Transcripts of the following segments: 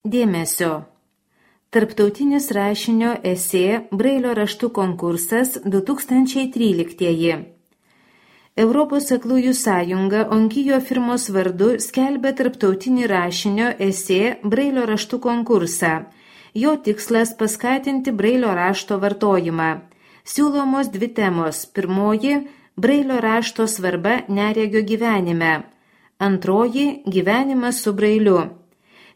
Dėmesio. Tarptautinis rašinio esė Brailio raštų konkursas 2013. Europos aklųjų sąjunga Onkijo firmos vardu skelbia tarptautinį rašinio esė Brailio raštų konkursą. Jo tikslas paskatinti Brailio rašto vartojimą. Siūlomos dvi temos. Pirmoji – Brailio rašto svarba neregio gyvenime. Antroji – gyvenimas su Brailiu.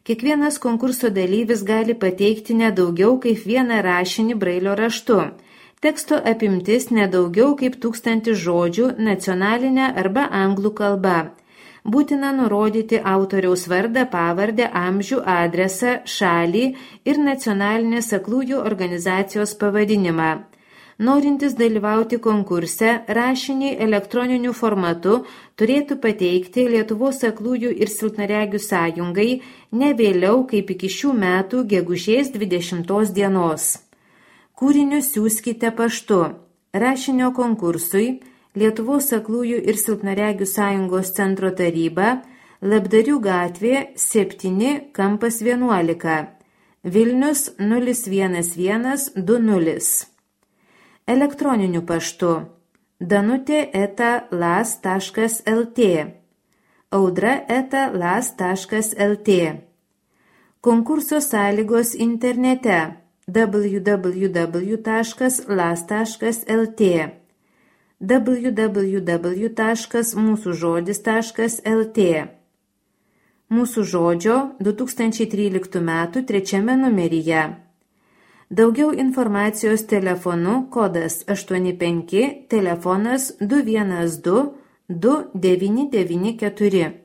Kiekvienas konkurso dalyvis gali pateikti nedaugiau kaip vieną rašinį Brailio raštu. Teksto apimtis nedaugiau kaip 1000 žodžių nacionalinė arba anglų kalba. Būtina nurodyti autoriaus vardą, pavardę, amžių, adresą, šalį ir nacionalinės aklųjų organizacijos pavadinimą. Norintis dalyvauti konkurse, rašinį elektroniniu formatu turėtų pateikti Lietuvos aklųjų ir silpnaregių sąjungai ne vėliau kaip iki šių metų gegužės 20 dienos. Kūrinius siųskite paštu. Rašinio konkursui Lietuvos aklųjų ir silpnaregių sąjungos centro taryba, Labdarių gatvė 7, kampas 11, Vilnius 01120. Elektroniniu paštu danutė@las.lt, audra@las.lt. Konkurso sąlygos internete www.las.lt, www.mūsužodis.lt. Mūsų žodžio 2013 m. 3 numeryje. Daugiau informacijos telefonu kodas 85, telefonas 212 2994.